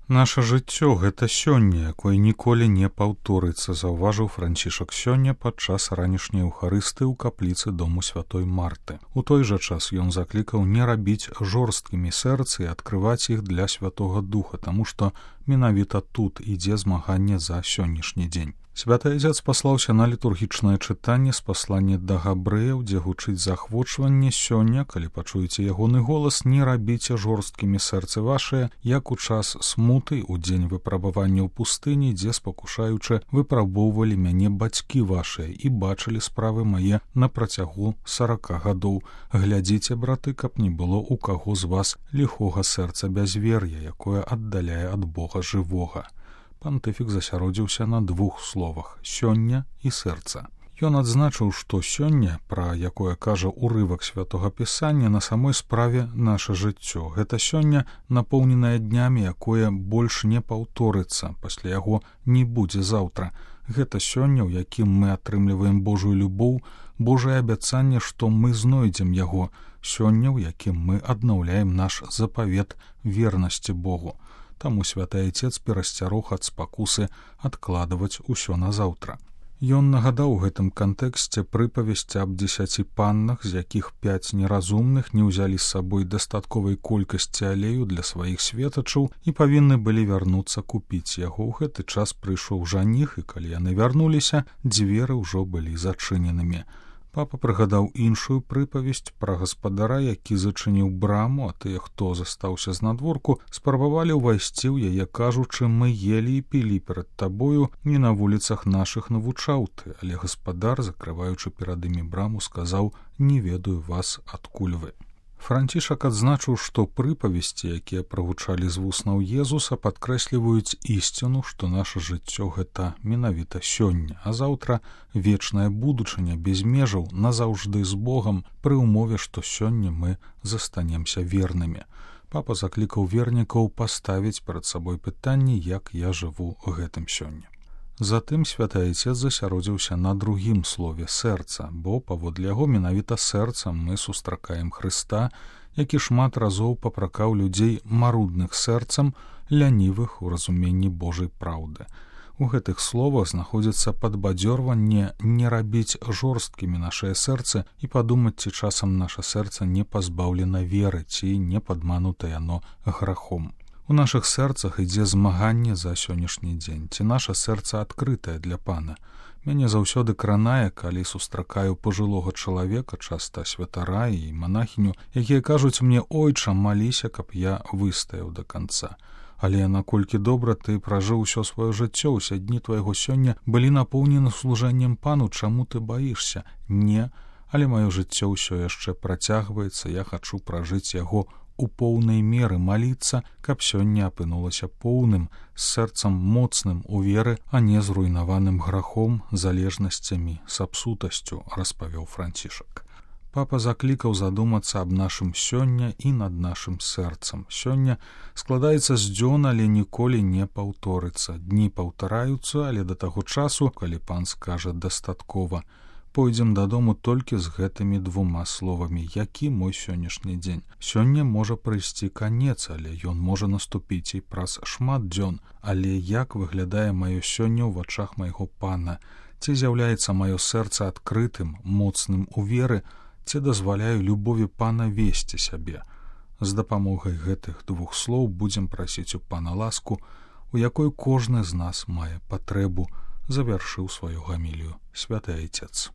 Наша жыццё — гэта сёння, якое ніколі не паўторыцца, заўважыў Францішак сёння падчас ранішняй эўхарыстыі ў капліцы дому святой Марты. У той жа час ён заклікаў не рабіць жорсткімі сэрцы і адкрываць іх для Святога Духа, таму што менавіта тут ідзе змаганне за сённяшні дзень. Святы Айцец паслаўся на літургічнае чытанне з паслання да габрэяў, дзе гучыць захвочванне: сёння, калі пачуеце ягоны голас, не рабіце жорсткімі сэрцы вашыя, як у час смуты, у дзень выпрабавання ў пустыні, дзе, спакушаючы, выпрабоўвалі мяне бацькі вашыя і бачылі справы мае на працягу 40 гадоў. Глядзіце, браты, каб не было ў каго з вас ліхога сэрца бязвер'я, якое аддаляе ад Бога жывога. Пантыфік засяродзіўся на двух словах: сёння і сэрца. Ён адзначыў, што сёння, пра якое кажа ўрывак святога пісання, на самой справе наша жыццё. Гэта сёння, напоўненае днямі, якое больш не паўторыцца, пасля яго не будзе заўтра. Гэта сёння, у якім мы атрымліваем Божую любоў, Божае абяцанне, што мы знойдзем яго. Сёння, у якім мы аднаўляем наш запавет вернасці Богу. Таму святы Айцец перасцярог ад спакусы адкладваць усё на заўтра. Ён нагадаў у гэтым кантэксце прыпавесць аб 10 паннах, з якіх 5 неразумных не ўзялі з сабой дастатковай колькасці алею для сваіх светачаў і павінны былі вярнуцца купіць яго. У гэты час прыйшоў жаніх, і калі яны вярнуліся, дзверы ўжо былі зачыненымі. Папа прыгадаў іншую прыпавесць пра гаспадара, які зачыніў браму, а тыя, хто застаўся знадворку, спрабавалі ўвайсці ў яе, кажучы: мы елі і пілі перад табою, не на вуліцах нашых навучаў ты. Але гаспадар, закрываючы перад імі браму, сказаў: не ведаю вас, адкуль вы. Францішак адзначыў, што прыпавесці, якія прагучалі з вуснаў Езуса, падкрэсліваюць ісціну, што наша жыццё — гэта менавіта сёння, а заўтра вечная будучыня без межаў, назаўжды з Богам, пры ўмове, што сёння мы застанемся вернымі. Папа заклікаў вернікаў паставіць перад сабой пытанне: як я жыву гэтым сёння. Затым святы Айцец засяродзіўся на другім слове сэрца, бо паводле яго менавіта сэрцам мы сустракаем Хрыста, які шмат разоў папракаў людзей марудных сэрцам, лянівых у разуменні Божай праўды. У гэтых словах знаходзіцца падбадзёрванне не рабіць жорсткімі нашае сэрцы і падумаць, ці часам наша сэрца не пазбаўлена веры, ці не падманута яно грахом. У нашых сэрцах ідзе змаганне за сённяшні дзень, ці наша сэрца адкрытае для Пана. Мяне заўсёды кранае, калі сустракаю пажылога чалавека, часта святара і манахіню, якія кажуць мне: ойча, маліся, каб я выстаяў да канца. Але наколькі добра ты пражыў усё сваё жыццё, усе дні твайго сёння былі напоўнены служэннем Пану, чаму ты баішся? Не, але маё жыццё ўсё яшчэ працягваецца, я хачу пражыць яго у поўнай меры, маліцца, каб сёння апынулася поўным, з сэрцам моцным у веры, а не зруйнаваным грахом, залежнасцямі, сапсутасцю, распавёў Францішак. Папа заклікаў задумацца аб нашым сёння і над нашым сэрцам. Сёння складаецца з дзён, але ніколі не паўторыцца. Дні паўтараюцца, але да таго часу, калі Пан скажа дастаткова, пойдзем дадому толькі з гэтымі двума словамі: які мой сённяшні дзень. Сёння можа прыйсці канец, але ён можа наступіць і праз шмат дзён. Але як выглядае маё сёння ў вачах майго Пана? Ці з'яўляецца маё сэрца адкрытым, моцным у веры, ці дазваляю любові Пана весці сябе? З дапамогай гэтых двух слоў будзем прасіць у Пана ласку, у якой кожны з нас мае патрэбу, завяршыў сваю гамілію святы Айцец.